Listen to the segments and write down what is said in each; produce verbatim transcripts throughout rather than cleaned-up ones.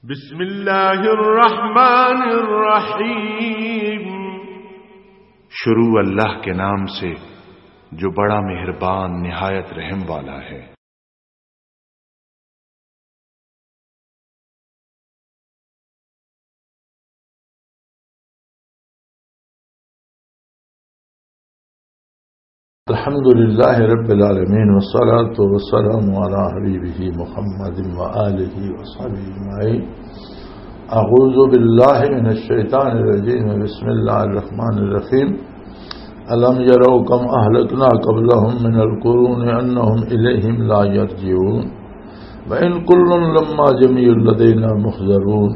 بسم اللہ الرحمن الرحیم۔ شروع اللہ کے نام سے جو بڑا مہربان نہایت رحم والا ہے۔ الحمد لله رب العالمين، والصلاة والسلام على حبيبه محمد وآله وصحبه أجمعين. أعوذ بالله من الشيطان الرجيم. بسم الله الرحمن الرحيم. ألم يروا كم أهلكنا قبلهم من القرون أنهم إليهم لا يرجعون. وإن كل لما جميع لدينا محضرون.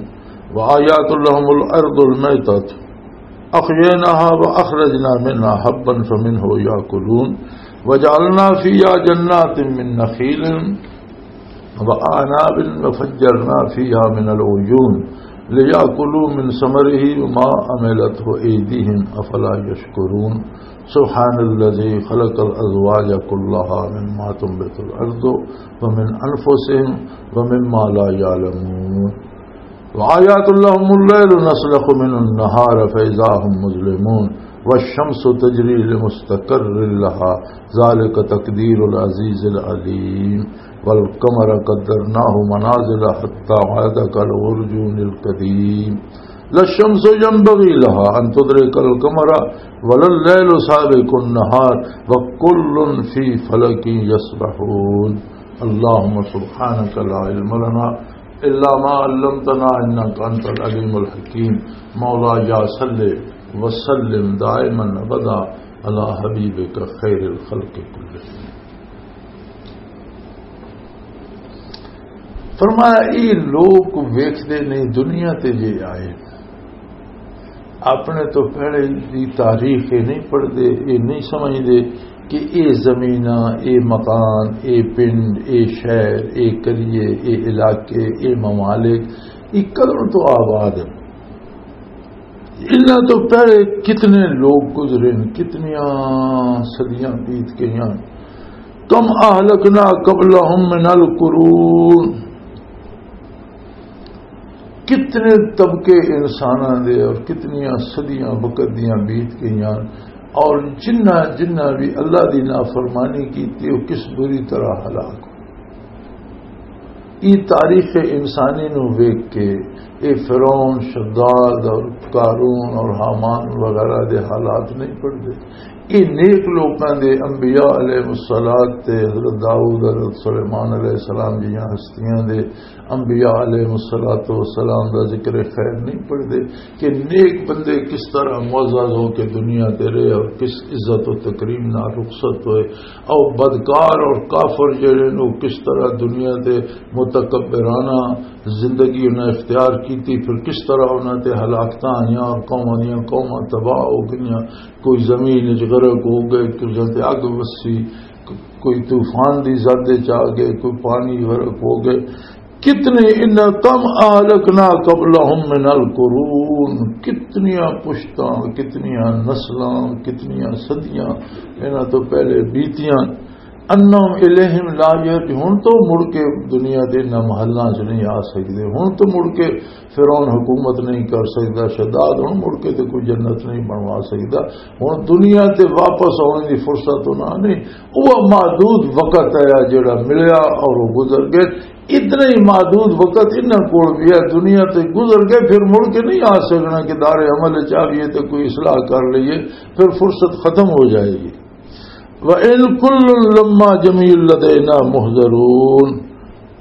وآيات لهم الأرض الميتة أحييناها وأخرجنا منها حبا فمنه يأكلون. وجعلنا فيها جنات من نخيل وأعناب وفجرنا فيها من العيون ليأكلوا من ثمره وما عملته أيديهم أفلا يشكرون. سبحان الذي خلق الأزواج كلها مما تنبت الأرض ومن أنفسهم ومما لا يعلمون. وآيات لهم الليل نسلخ منه النهار فإذا هم مظلمون. والشمس تجري لمستقر لها ذلك تقدير العزيز العليم. والقمر قدرناه منازل حتى عاد كالعرجون القديم. لا الشمس ينبغي لها أن تدرك القمر ولا الليل سابق النهار وكل في فلك يسبحون. اللهم سبحانك لا علم لنا إلا ما علمتنا إنك أنت العليم الحكيم. مولاي صل وسلم دائما أبدا على حبيبك خير الخلق كلهم. فرمایا، یہ لوگ ویکھدے نہیں، دنیا تے جے آئے، اپنے تو پہلے دی تاریخ یہ نہیں پڑھدے، یہ نہیں سمجھدے کہ یہ زمیناں، یہ مکان، یہ پنڈ، یہ شہر، یہ قریے، یہ علاقے، یہ ممالک، یہ کدوں تو آباد ہیں۔ انہاں تو پہلے کتنے لوگ گزرے ہیں، کتنیاں صدیاں بیت گئیاں۔ کم اہلکنا قبلہم من القرون، کتنے طبقے انساناں دے اور کتنیاں صدیاں وقت دیاں بیت گئیاں، اور جنہ جنہ بھی اللہ دی نافرمانی کیتی، وہ کس بری طرح ہلاک ہو۔ یہ تاریخ انسانی نو ویکھ کے یہ فرعون، شداد اور قارون اور ہامان وغیرہ دے حالات نہیں پڑھتے۔ یہ نیک لوکاں دے، انبیاء علیہ الصلوۃ تے حضرت داؤد، حضرت سلیمان علیہ السلام جیاں ہستیاں دے، انبیاء علیہ الصلوۃ والسلام دا ذکر خیر نہیں پڑھتے کہ نیک بندے کس طرح معزز ہو کے دنیا تے رہے اور کس عزت و تکریم نال رخصت ہوئے، اور بدکار اور کافر جڑے نے، وہ کس طرح دنیا تے متکبرانہ زندگی انہاں اختیار کیتی، پھر کس طرح انہاں تے ہلاکتاں آئیاں اور قوماں دیاں قوماں تباہ ہو گئیاں، کوئی زمین وچ غرق ہو گئے، کوئی تے اگ وسی، کوئی طوفان دی زد وچ آ گئے، کوئی پانی غرق ہو گئے۔ کتنے، ان کم اہلکنا قبلہم من القرون، کتنیاں پشتاں، کتنیاں نسلاں، کتنیاں صدیاں انہاں تو پہلے بیتیاں۔ انہم الیہم لا یرجعون، ہن تو مڑ کے دنیا دے انہاں محلاں چ نہیں آ سکدے۔ ہن تو مڑ کے فرعون حکومت نہیں کر سکدا، شداد ہن مڑ کے تے کوئی جنت نہیں بنوا سکدا۔ ہن دنیا تے واپس آنے دی فرصت انہاں نہیں۔ وہ محدود وقت ہے جڑا ملیا اور وہ گزر گئے۔ اتنا ہی محدود وقت انہاں کول بھی ہے، دنیا تے گزر گئے، پھر مڑ کے نہیں آ سکنا کہ دار عمل چ آئیے تے کوئی اصلاح کر لئیے، پھر فرصت ختم ہو جائے گی۔ وَإِن كُلٌّ لَمَّا جَمِيعٌ لَدَيْنَا مُحْضَرُونَ۔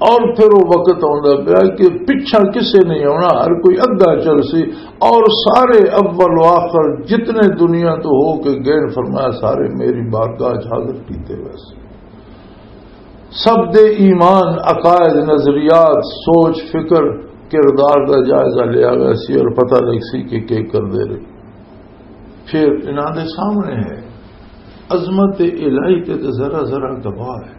اور پھر وہ وقت آندا پیا کہ پچھا کسے نہیں آنا، ہر کوئی اگا چل سی، اور سارے اول و آخر جتنے دنیا تو ہو کے گئے، فرمایا، سارے میری بارگاہ چ حاضر کیتے ہوئے سی۔ سب دے ایمان، عقائد، نظریات، سوچ، فکر، کردار دا جائزہ لیا گیا سی اور پتہ لگ سی کہ کی کردے رہے۔ پھر انہاں دے سامنے ہے، عظمت الہی تے تے ذرا ذرا گواہ ہے۔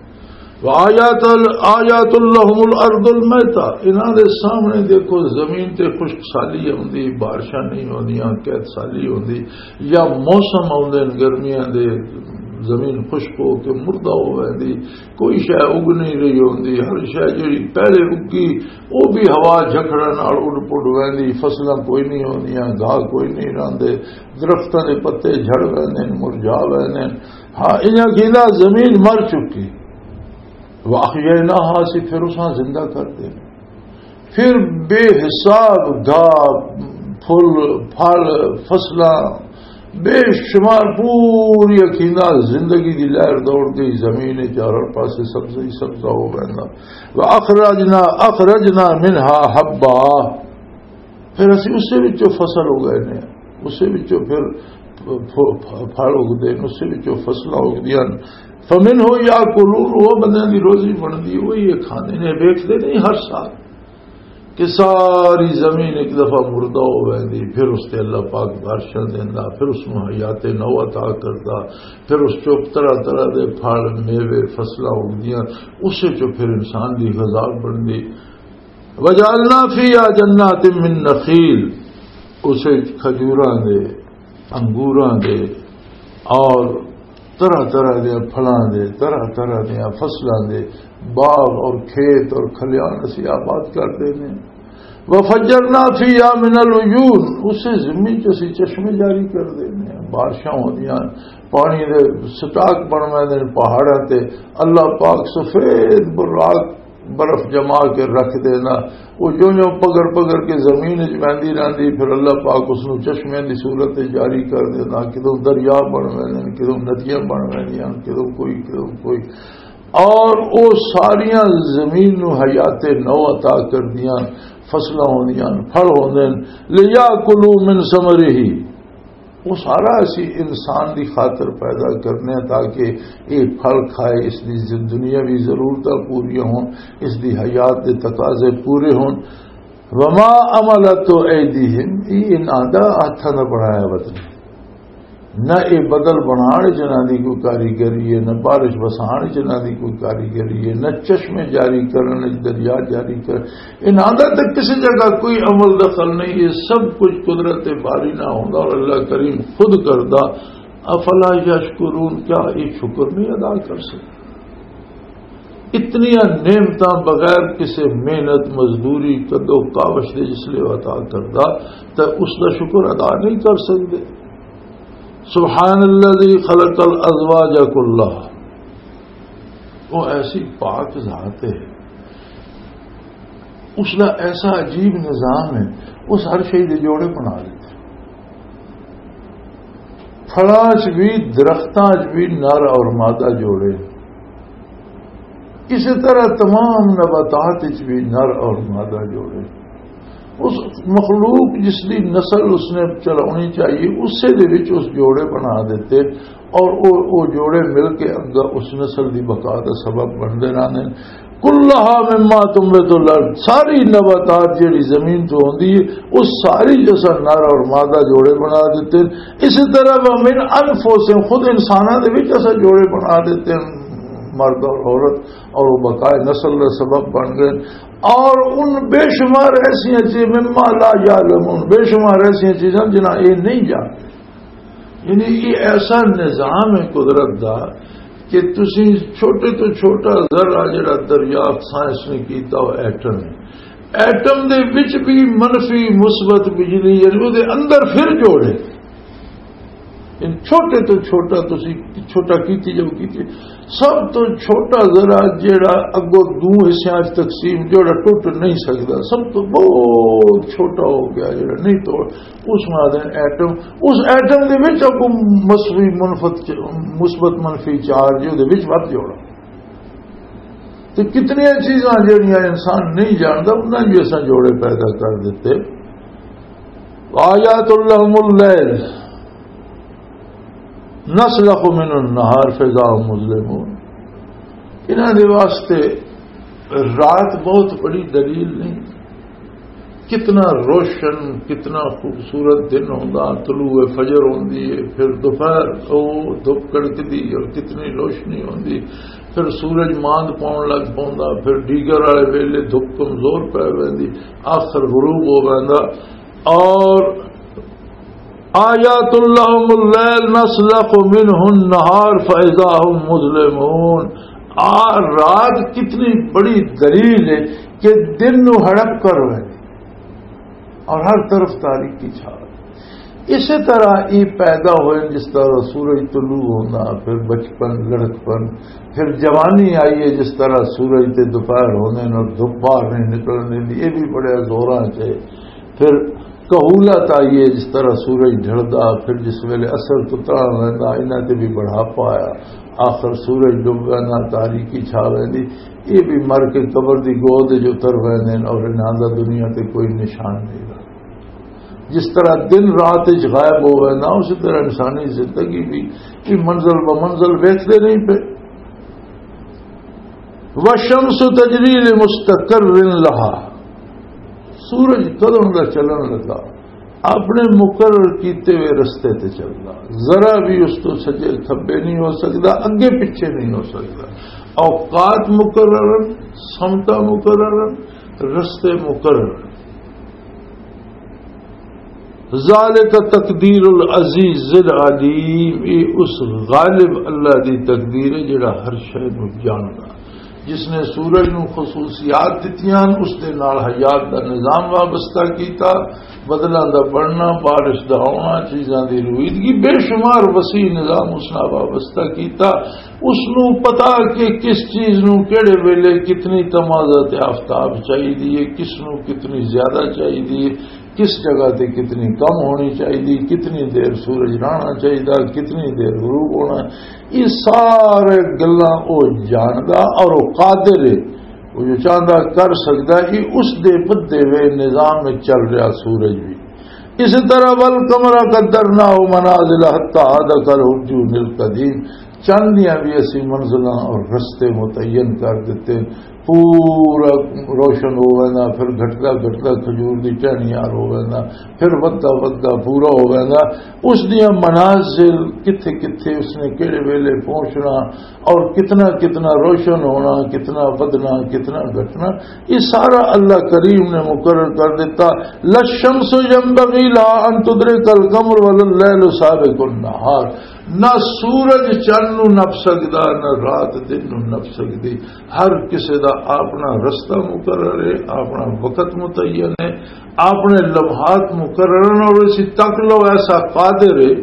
وآیات ال-، آیات لہم الارض المیتہ، انہاں دے سامنے دیکھو زمین تے خشک سالی ہوندی، بارشاں نہیں ہوندیاں، قحط سالی ہوندی، یا موسم آوندے نے گرمیاں دے، زمین خشک ہو کے مردہ ہو ویندی، کوئی شے اگ نہیں رہی ہوندی۔ ہر شے جڑی پہلے اگی، وہ بھی ہوا جھکڑاں نال اڈ پڈ ویندی، فصلاں کوئی نہیں ہوندیاں، گھاہ کوئی نہیں رہندے، درختاں دے پتے جھڑ ویندے نے، مرجھا ویندے نے۔ ہاں، انہاں کہندا زمین مر چکی۔ وَأَحْيَيْنَاهَا، اسی پھر اساں زندہ کر دے۔ پھر بے حساب گھاہ، پھل، پھل، فصلاں، بے شمار پوری اکھیندہ زندگی دی لہر دوڑ گئی، زمین چاروں پاسے سبزہ ہی سبزہ ہو گیا۔ وَأَخْرَجْنَا، أَخْرَجْنَا مِنْهَا حَبًّا، پھر اسی اسے وچوں فصل اگائے نے، اسے وچوں پھر پھ-، پھ-، پھل اگدے نے، اسے وچوں فصلاں اگدیاں نے۔ فَمِنْهُ يَأْكُلُونَ، وہ بندیاں دی روزی بندی، وہی یہ کھاندے نے، ویکھدے نہیں ہر سال کہ ساری زمین ایک دفعہ مردہ ہو ویندی، پھر اس تے اللہ پاک بارشاں دیندا، پھر اس نوں حیات نو عطا کردا، پھر اس چوں طرح طرح دے پھل، میوے، فصلاں اگدیاں، اسے چوں پھر انسان دی غذا بندی۔ وَجَعَلْنَا فِيهَا جَنَّاتٍ مِّن نَّخِيلٍ، اسے کھجوراں دے، انگوراں دے اور طرح طرح دے پھلاں دے، طرح طرح دے فصلاں دے باغ اور کھیت اور کھلیان اسی آباد کر دینے۔ وَفَجَّرْنَا فِيهَا مِنَ الْعُيُونِ، اسے زمین چ اسی چشمے جاری کر دینے۔ بارشاں ہوندیاں، پانی دے سٹاک بن ویندے نے پہاڑاں تے۔ اللہ پاک سفید براق برف جما کے رکھ دینا، وہ جو جو پگڑ پگڑ کے زمین وچ ویندی رہندی، پھر اللہ پاک اس نوں چشمے دی صورت وچ جاری کر دینا، کدوں دریا بن ویندے نے، کدوں ندیاں بن ویندیاں، کدوں کوئی، کدوں کوئی۔ اور وہ ساریاں زمین نوں حیات نو عطا کر دیاں، فصلاں ہوندیاں، پھل ہوندے نے۔ لِيَأْكُلُوا مِنْ ثَمَرِهِ، وہ سارا اسی انسان دی خاطر پیدا کرنے ہیں تاکہ یہ پھل کھائے، اس دی زن-، دنیاوی ضرورتاں پوریاں ہون، اس دی حیات دے تقاضے پورے ہون۔ وما عملت ایدیہم، یہ انہاں دا ہتھاں دا بنایا وطن ہے۔ نہ یہ بدل بنان وچ انہاں دی کوئی کاریگری ہے، نہ بارش وسان وچ انہاں دی کوئی کاریگری ہے، نہ چشمے جاری کرن وچ، دریا جاری کر، انہاں دا تے کسی جگہ کوئی عمل دخل نہیں، یہ سب کچھ قدرت باری نہ ہوندا اور اللہ کریم خود کردا۔ افلا یشکرون، کیا یہ شکر نہیں ادا کر سکتے؟ اتنی نعمتاں بغیر کسی محنت، مزدوری، کدو کاوش دے جس لئے عطا کردا، تے اس دا شکر ادا نہیں کر سکتے۔ سبحان الذی خلق الازواج کلہا، وہ ایسی پاک ذات ہے، اس دا ایسا عجیب نظام ہے، اس ہر شے دے جوڑے بنا دیتے۔ پھلاں چ بھی، درختاں چ بھی نر اور مادہ جوڑے، اسی طرح تمام نباتات چ بھی نر اور مادہ جوڑے۔ اس مخلوق جس دی نسل اس نے چلانی چاہیے، اسے دے وچ اس جوڑے بنا دیتے اور او، او جوڑے مل کے اگا اس نسل دی بقا دا سبب بندے رہندے نے۔ کلھا مما تنبت الارض، ساری نباتات جڑی زمین تو ہوندی ہے، اس ساری جسا نر اور مادہ جوڑے بنا دیتے نے۔ اسی طرح ومن انفسہم، خود انساناں دے وچ اسا جوڑے بنا دیتے ہیں، مرد اور عورت، اور وہ بقائے نسل دا سبب بن گئے۔ اور ان بے شمار ایسیاں چیزیں، مما لا یعلمون، بے شمار ایسیاں چیزاں جنہاں یہ نہیں جانتے۔ یعنی یہ ایسا نظام ہے قدرت دا کہ تسی چھوٹے تو چھوٹا ذرہ جڑا دریافت سائنس نے کیتا، وہ ایٹم ہے۔ ایٹم دے وچ بھی منفی مثبت بجلی، یعنی وہ دے اندر پھر جوڑے۔ ان چھوٹے تو چھوٹا، تسی چھوٹا کیتی جاؤ، کیتی، سب تو چھوٹا ذرہ جڑا اگوں دو حصیاں وچ تقسیم، جڑا ٹوٹ نہیں سکدا، سب تو بہت چھوٹا ہو گیا، جڑا نہیں توڑ، اس نوں آدھے ایٹم۔ اس ایٹم دے وچ اگوں مثبت منفت چ-، مثبت منفی چارج دے وچ ود جوڑا۔ تے کتنی چیزاں جڑیاں انسان نہیں جاندا، انہاں بھی اساں جوڑے پیدا کر دیتے۔ آیات لہم اللیل نسلخ من النہار فاذا هم مظلمون۔ انہاں دے واسطے رات بہت بڑی دلیل نہیں۔ کتنا روشن، کتنا خوبصورت دن ہوندا، طلوع فجر ہوندی ہے، پھر دوپہر، او دھپ کڑکدی اور کتنی روشنی ہوندی، پھر سورج ماند پاؤن لگ پوندا، پھر ڈیگر والے ویلے دھپ کمزور پے ویندی، آخر غروب ہو ویندا۔ اور آیات لهم اللیل نسلخ منه النهار فاذا هم مظلمون۔ آ، رات کتنی بڑی دلیل ہے کہ دن نو ہڑپ کر رہے اور ہر طرف تاریکی چھا رہی۔ اسی طرح یہ پیدا ہوئے جس طرح سورج طلوع ہونا، پھر بچپن، لڑکپن، پھر جوانی آئی ہے جس طرح سورج تے دوپہر ہونے اور دھوپ باہر نہیں نکلنے دی، یہ بھی بڑے زوراں چ ہے۔ پھر کہولت آئی ہے، جس طرح سورج ڈھلدا، پھر جس ویلے اثر اترا ویندا، انہاں تے بھی بڑھاپا آیا۔ آخر سورج ڈبدا، نہ تاریکی چھا ویندی۔ یہ بھی مر کے قبر دی گود جو اتر ویندے نے اور انہاں دا دنیا تے کوئی نشان نہیں رہا۔ جس طرح دن رات وچ غائب ہو ویندا، اسی طرح انسانی زندگی بھی، یہ منزل بہ منزل ویکھدے نہیں پے۔ والشمس تجری لمستقر لها۔ سورج کدوں دا چلن لگا، اپنے مقرر کیتے ہوئے رستے تے چلدا، ذرا بھی اس تو سجے کھبے نہیں ہو سکدا، اگے پیچھے نہیں ہو سکدا۔ اوقات مقرر، سمتا مقرر، رستے مقرر۔ ذالک تقدیر العزیز العلیم، یہ اس غالب اللہ دی تقدیر ہے جڑا ہر شے نو جاندا، جس نے سورج نو خصوصیات دتیاں، اس دے نال حیات دا نظام وابستہ کیتا، بدلاں دا بننا، بارش دا آنا، چیزاں دی رویدگی، بے شمار وسیع نظام اس نال وابستہ کیتا۔ اس نو پتا کہ کس چیز نو کیڑے ویلے کتنی تمازت آفتاب چاہیے، کس نو کتنی زیادہ چاہیے، کس جگہ تے کتنی کم ہونی چاہیے، کتنی دیر سورج رہنا چاہیے، کتنی دیر غروب ہونا، یہ سارے گلاں او جاندا اور او قادر ہے۔ وہ جو چاہندا کر سکدا، یہ اس دے بدے ہوئے نظام میں چل رہا سورج بھی۔ اسی طرح والقمر قدرناه منازل حتى عاد كالعرجون القديم، چند دیاں بھی اسی منزلاں اور رستے متعین کر دیتے۔ پورا روشن ہو ویندا، پھر گھٹدا گھٹدا کھجور دی ٹہنی یار ہو ویندا، پھر ودھدا ودھدا پورا ہو ویندا۔ اس دیاں منازل کتھے کتھے اس نے کہڑے ویلے پہنچنا اور کتنا کتنا روشن ہونا، کتنا ودھنا، کتنا گھٹنا، یہ سارا اللہ کریم نے مقرر کر دیتا۔ للشمس ينبغي لها أن تدرك القمر ولا الليل سابق النهار۔ نہ سورج چن نو نپ سکدا، نہ رات دن نو نپ سکدی۔ ہر کسے دا اپنا رستہ مقرر ہے، اپنا وقت متعین ہے، اپنے لمحات مقرر ہیں، اور اسی تک لو ایسا قادر ہے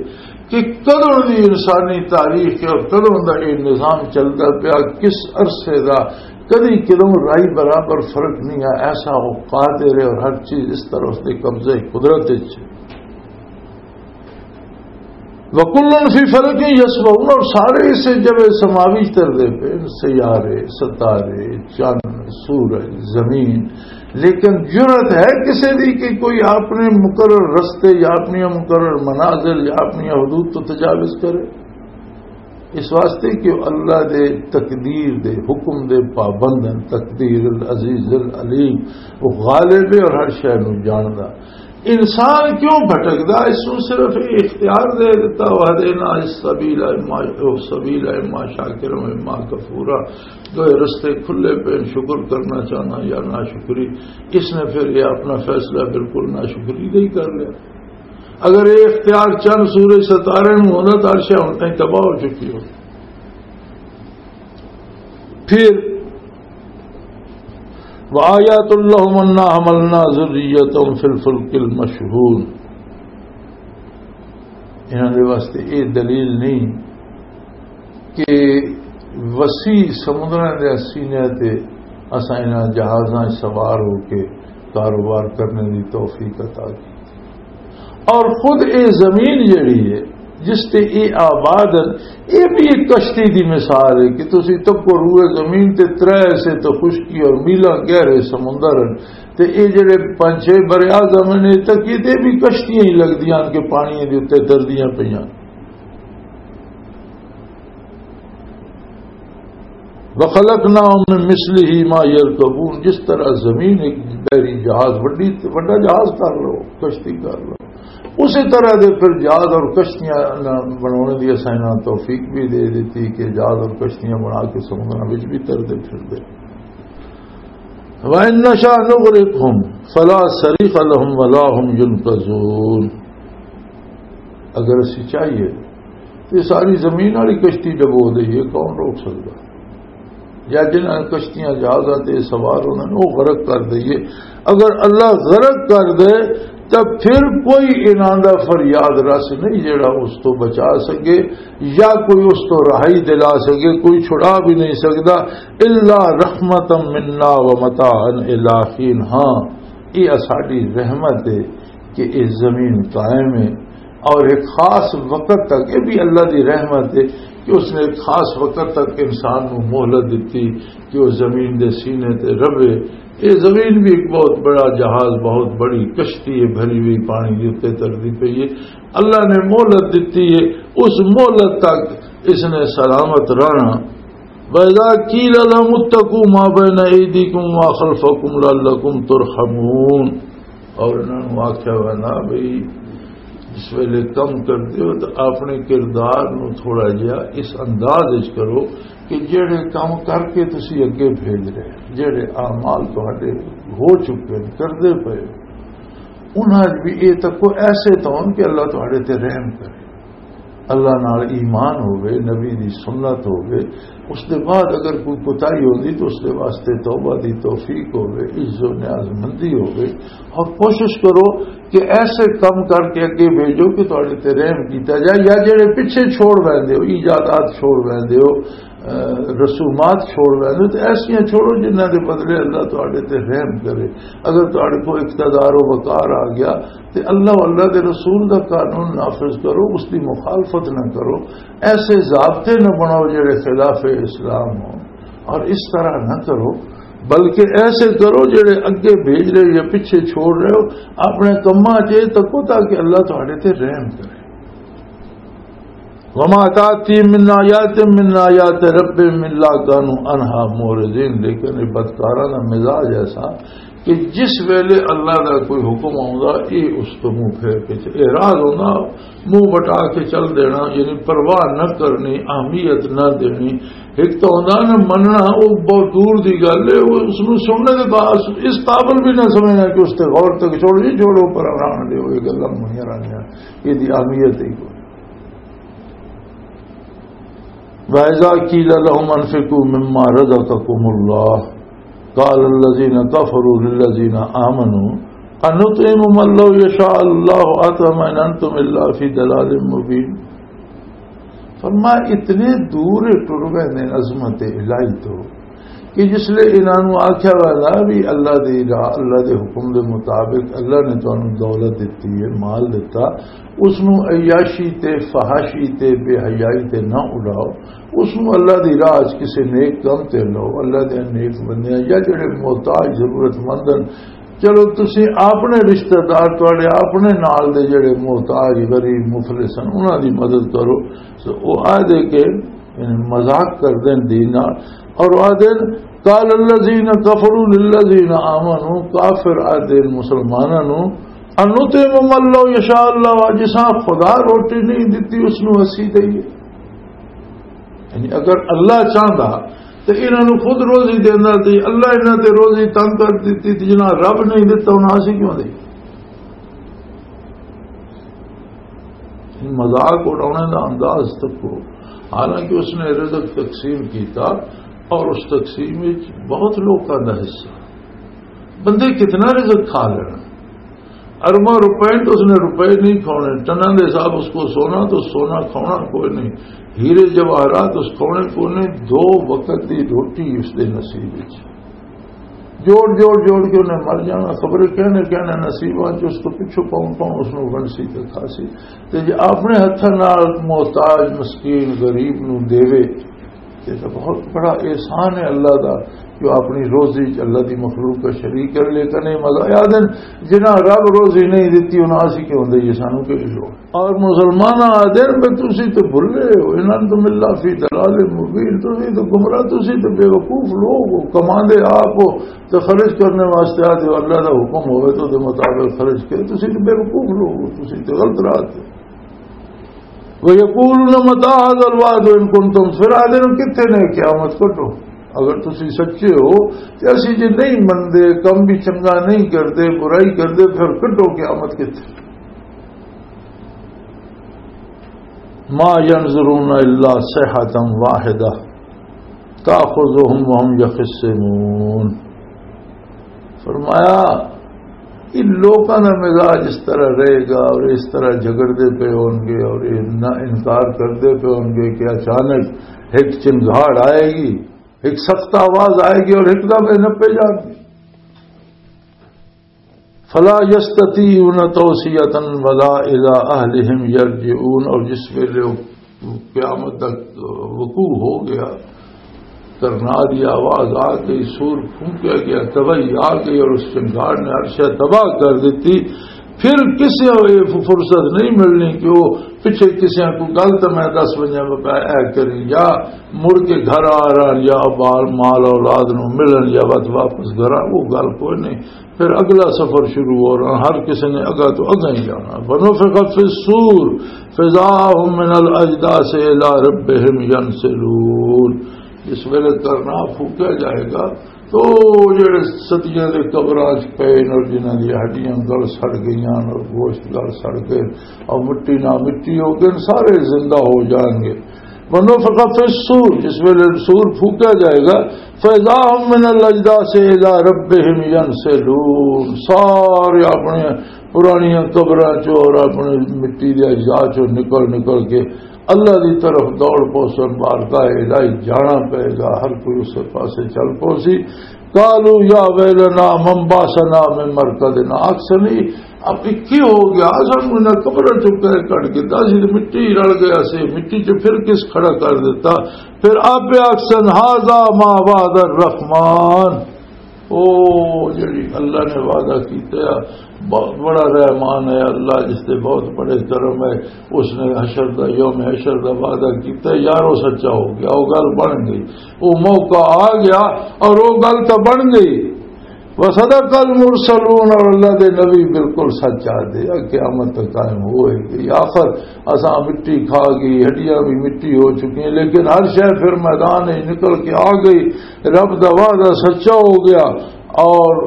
کہ کدوں دی انسانی تاریخ ہے اور کدوں دا یہ نظام چلدا پیا، کس عرصے دا، کدی کدوں رائی برابر فرق نہیں ہے۔ ایسا وہ قادر ہے اور ہر چیز اس طرح اس دے قبضے قدرت وچ ہے۔ وَكُلٌّ فِي فَلَكٍ يَسْبَحُونَ، اور سارے اسے جب سماوی چلدے پے، سیارے، ستارے، چند، سورج، زمین، لیکن جرأت ہے کسی دی کہ کوئی اپنے مقرر رستے یا اپنی مقرر منازل یا اپنی حدود تو تجاوز کرے؟ اس واسطے کہ وہ اللہ دے تقدیر دے حکم دے پابند ہیں، تقدیر العزیز العلیم، وہ غالب ہے اور ہر شے نو جاندا۔ انسان کیوں بھٹکدا؟ اس نوں صرف یہ اختیار دے دیتا، وَهَدَيْنَاهُ السَّبِيلَ إِمَّا، سبیل اما شاکر و اما کفورا، دو رستے کھلے پے، شکر کرنا چاہنا یا ناشکری۔ اس نے پھر یہ اپنا فیصلہ بالکل ناشکری کا ہی کر لیا۔ اگر یہ اختیار چند سورج ستارے نوں ہوندا تو عرش ہن تائیں تباہ ہو چکی ہو۔ پھر وَآيَاتٌ لَهُمْ أَنَّا حَمَلْنَا ذُرِّيَّتَهُمْ فِي الْفُلْكِ الْمَشْحُونِ۔ انہاں دے واسطے یہ دلیل نہیں کہ وسیع سمندراں دے سینے تے اساں انہاں جہازاں 'چ سوار ہو کے کاروبار کرنے دی توفیق عطا کی۔ اور خود اے زمین جڑی ہے جس تے اے آباد ہے، اے بھی ایک کشتی دی مثال ہے کہ تسی تکو روئے زمین تے ترے حصے تو خشکی اور میلاں گہرے سمندر ہیں، تے اے جڑے پنج چھ بر اعظم نے تک یہ تے بھی کشتیاں ہی لگدیاں ہیں کہ پانی دے اُتے تردیاں پیاں۔ وَخَلَقْنَاهُمْ مِنْ مِثْلِهِ مَا يَرْكَبُونَ، جس طرح زمین ایک بحری جہاز، وڈی، وڈا جہاز کر لو، کشتی کر لو، اسی طرح دے پھر جہاز اور کشتیاں نہ بنانے دی اساں انہاں توفیق بھی دے دیتی کہ جہاز اور کشتیاں بنا کے سمندراں وچ بھی تردے پھردے۔ وَإِنْ نَشَأْ نُغْرِقْهُمْ فَلَا صَرِيخَ لَهُمْ وَلَا هُمْ يُنْقَذُونَ۔ اگر اسی چاہیے تو یہ ساری زمین والی کشتی ڈبو دئیے، کون روک سکتا؟ یا جنہاں کشتیاں جہازاں تے سوار انہاں نوں غرق کر دئیے۔ اگر اللہ غرق کر دے تو پھر کوئی انہاں دا فریاد رس نہیں جڑا اس تو بچا سکے یا کوئی اس تو رہائی دلا سکے، کوئی چھڑا بھی نہیں سکتا۔ الا رحمتا منا ومتاعا الی حین۔ ہاں، یہ ساڈی رحمت ہے کہ یہ زمین قائم ہے اور ایک خاص وقت تک، یہ بھی اللہ دی رحمت ہے کہ اس نے ایک خاص وقت تک انسان نوں مہلت دتی کہ وہ زمین دے سینے تے رہے۔ یہ زمین بھی ایک بہت بڑا جہاز، بہت بڑی کشتی ہے، بھری ہوئی پانی دے اُتے تردی پئی ہے۔ اللہ نے مہلت دتی ہے، اس مہلت تک اس نے سلامت رہنا۔ وَإِذَا قِيلَ لَهُمُ اتَّقُوا مَا بَيْنَ أَيْدِيكُمْ وَمَا خَلْفَكُمْ لَعَلَّكُمْ تُرْحَمُونَ۔ اور انہاں نوں آکھیا ہویا نا بھئی، جس ویلے کم کردے ہو تو اپنے کردار نوں تھوڑا جہا اس انداز وچ کرو کہ جڑے کم کر کے تسی اگے بھیج رہے، جڑے اعمال تہاڈے ہو چکے نے، کردے پئے ہو، انہاں وچ بھی یہ تکو ایسے تو ہون کہ اللہ تہاڈے تے رحم کرے۔ اللہ نال ایمان ہووے، نبی دی سنت ہووے، اس دے بعد اگر کوئی کوتاہی ہوندی تو اس دے واسطے توبہ دی توفیق ہووے، عز و نیاز مندی ہووے، اور کوشش کرو کہ ایسے کم کر کے اگے بھیجو کہ تہاڈے تے رحم کیتا جائے، یا جڑے پیچھے چھوڑ ویندے ہو، ایجادات چھوڑ ویندے ہو، اہ، رسومات چھوڑ ویندے ہو، تے ایسیاں چھوڑو جنہاں دے بدلے اللہ تہاڈے تے رحم کرے۔ اگر تہاڈے کو اقتدار و وقار آ گیا، تے اللہ و اللہ دے رسول دا قانون نافذ کرو، اس دی مخالفت نہ کرو، ایسے ضابطے نہ بناؤ جڑے خلاف اسلام ہو، اور اس طرح نہ کرو، بلکہ ایسے کرو جڑے اگے بھیج رہے ہو یا پیچھے چھوڑ رہے ہو، اپنے کماں 'چ یہ تکو تاکہ اللہ تہاڈے تے رحم کرے۔ وما تأتيهم من آية من آيات ربهم إلا كانوا عنها معرضين۔ لیکن یہ بدکاراں دا مزاج ایسا کہ جس ویلے اللہ دا کوئی حکم آوندا، یہ اس تو منہ پھیر کے چ-، اعراض ہونا، منہ بٹا کے چل دینا، یعنی پرواہ نہ کرنی، اہمیت نہ دینی۔ ایک تو ہوندا نہ مننا، وہ بہت دور دی گل ہے، وہ اس نوں سننے دے بعد اس قابل بھی نہ سمجھنا کہ اس تے غور تک چھوڑ جی، چھوڑو پر آرام دے، وہ گلاں منیاں رہنیاں، یہ دی اہمیت ہی کوئی۔ وَإِذَا قِيلَ لَهُمْ أَنفِقُوا مِمَّا رَزَقَكُمُ اللَّهُ قَالَ الَّذِينَ كَفَرُوا لِلَّذِينَ آمَنُوا أَنُطْعِمُ مَن لَّوْ يَشَاءُ اللَّهُ أَطْعَمَهُ إِنْ أَنتُمْ إِلَّا فِي ضَلَالٍ مُّبِينٍ۔ فرمایا، اتنے دور ٹر گئے نے عظمت الہی تو کہ جس لئے انہاں نوں آکھیا گیا بھی اللہ دی راہ، اللہ دے حکم دے مطابق اللہ نے تانوں دولت دتی ہے، مال دتا، اس نوں عیاشی تے فحاشی تے بے حیائی تے نہ اڑاؤ، اس نوں اللہ دی راہ 'چ کسے نیک کم تے لاؤ، اللہ دے نیک بندیاں یا جڑے محتاج ضرورت مند ہن، چلو تسی اپنے رشتہ دار، تہاڈے اپنے نال دے جڑے محتاج، غریب، مفلس ہن، انہاں دی مدد کرو۔ سو او آ دے کے یعنی مذاق کر دین دین نال۔ اور آ دین، قال الذین کفروا للذین آمنوا، کافر آ دین مسلماناں نوں، انطعم من لو یشاء اللہ، جساں خدا روٹی نہیں دتی اس نوں اسی دئیے۔ یعنی اگر اللہ چاہندا تے انہاں نوں خود روزی دیندا، تے اللہ انہاں تے روزی تنگ کر دتی، تے جنہاں رب نہیں دتا انہاں اسی کیوں دئیے؟ مذاق اڑانے دا انداز تکو۔ حالانکہ اس نے رزق تقسیم کیتا اور اس تقسیم وچ بہت لوکاں دا حصہ۔ بندے کتنا رزق کھا لینا؟ ارباں روپے تو اس نے روپے نہیں کھانے، ٹناں دے حساب اس کو سونا تو سونا کھانا کوئی نہیں، ہیرے جواہرات اس کھانے کوئی نہیں، دو وقت دی روٹی اس دے نصیب وچ۔ جوڑ جوڑ جوڑ کے انہیں مر جانا، خبر کہنے کہنے نصیباں چ اس کو پچھو پاؤں پاؤں اس نوں ونسی تے کھاسی۔ تے جے اپنے ہتھاں نال محتاج، مسکین، غریب نوں دیوے، تے تاں بہت بڑا احسان ہے اللہ دا، جو اپنی روزی چ اللہ دی مخلوق کا شریک کر لے۔ کنے مزہ آ دن، جنہاں رب روزی نہیں دتی، انہاں اسی کیوں دئیے، سانوں کیوں لوڑ؟ اور مسلمان آدھے نے، "تسی تے بھلے ہو، ان انتم الا فی ضلال مبین، تسی تے گمراہ، تسی تے بے وقوف لوگ ہو، کماندے آپ ہو تے خرچ کرنے واسطے آدھے ہو، اللہ دا حکم ہوئے تو دے مطابق خرچ کرے، تسی تے بے وقوف لوگ ہو، تسی تے غلط راہ تے۔" وَيَقُولُونَ مَتَىٰ هَٰذَا الْوَعْدُ إِن كُنتُمْ، پھر آدھے نے، "کتھے نے قیامت؟ کڈو، اگر تسی سچے ہو تے اسی جے نہیں مندے، کم بھی چنگا نہیں کردے، برائی کردے، پھر کڈو قیامت کتھے؟" ما ينظرون إلا صيحة واحدة تأخذهم وهم يخصمون۔ فرمایا، ان لوگوں کا مزاج اس طرح رہے گا اور اس طرح جھگڑتے پے ہوں گے اور یہ نہ انکار کرتے پے ہوں گے کہ اچانک ایک چنگھاڑ آئے گی، ایک سخت آواز آئے گی اور ایک دم یہ نپے جان گے۔ فلا يستطيعون توصية ولا إلى أهلهم يرجعون، اور جس ویلے وہ قیامت تک وقوع ہو گیا، کرنا دی آواز آ گئی، سور پھونکیا گیا، تباہی آ گئی اور اس چنگھاڑ نے ہر شے تباہ کر دیتی۔ پھر کسی کو یہ فرصت نہیں ملنی کہ وہ پچھے کسی کو گل تو میں دس بجے میں پہ اے کریں یا مڑ کے گھر آ رہا یا بال مال اولاد نو ملن یا بات واپس گھر آ، وہ گل کوئی نہیں۔ پھر اگلا سفر شروع ہو رہا، ہر کسی نے اگا تو اگا ہی جانا۔ ونفخ فی الصور فاذا هم من الاجداث الی ربهم ینسلون۔ جس ویلے کرنا پھوکیا جائے گا تو جڑے صدیاں دے قبراں چ پئے نے اور جنہاں دی ہڈیاں گل سڑ گئیاں اور گوشت گل سڑ گئے اور مٹی نہ مٹی ہو گئے، سارے زندہ ہو جان گے۔ ونفخ فی الصور، جس ویلے سور پھوکیا جائے گا، فاذا هم من الاجداث الی ربهم ینسلون، سارے اپنے پرانیاں قبراں چوں اور اپنے مٹی دے اجزاء چوں نکل نکل کے اللہ دی طرف دوڑ پوسن، بارگاہ الہی جانا پے گا، ہر کوئی اسے پاسے چل پوسی۔ قالوا یا ویلنا من بعثنا من مرقدنا، آکھسن، اب یہ کی ہو گیا؟ سانوں انہاں قبراں چوں کہہ کڈ کے، اسی تے مٹی رل گیا سی، مٹی چ پھر کس کھڑا کر دیتا؟ پھر آپ آکھسن، هذا ما وعد الرحمن، او جڑی اللہ نے وعدہ کیتا ہے، بہت بڑا رحمان ہے اللہ، جس تے بہت بڑے کرم ہے۔ اس نے حشر دا، یوم حشر دا وعدہ کیتا ہے، یارو سچا ہو گیا، وہ گل بن گئی، وہ موقع آ گیا اور وہ گل تو بن گئی۔ وصدق المرسلون، اور اللہ دے نبی بالکل سچ آ دے، قیامت تک قائم ہوئے گی۔ آخر اساں مٹی کھا گئی، ہڈیاں بھی مٹی ہو چکی ہیں، لیکن ہر شے پھر میدان وچ نکل کے آ گئی، رب دا وعدہ سچا ہو گیا اور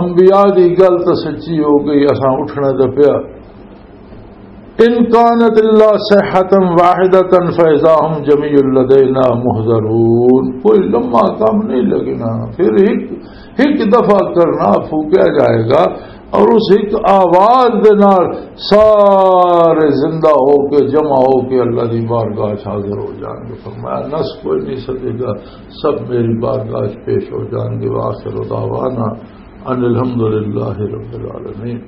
انبیاء دی گل تو سچی ہو گئی، اساں اٹھنا تے پیا۔ ان كانت الا صيحة واحدة فإذا هم جميع لدينا محضرون، کوئی لمحہ کم نہیں لگنا، پھر ایک ایک دفعہ کرنا پھونکیا جائے گا اور اس ایک آواز دے نال سارے زندہ ہو کے، جمع ہو کے اللہ دی بارگاہ چ حاضر ہو جان گے۔ فرمایا، نس کوئی نہیں سکے گا، سب میری بارگاہ چ پیش ہو جان گے۔ وآخر دعوانا ان الحمد للہ رب العالمین۔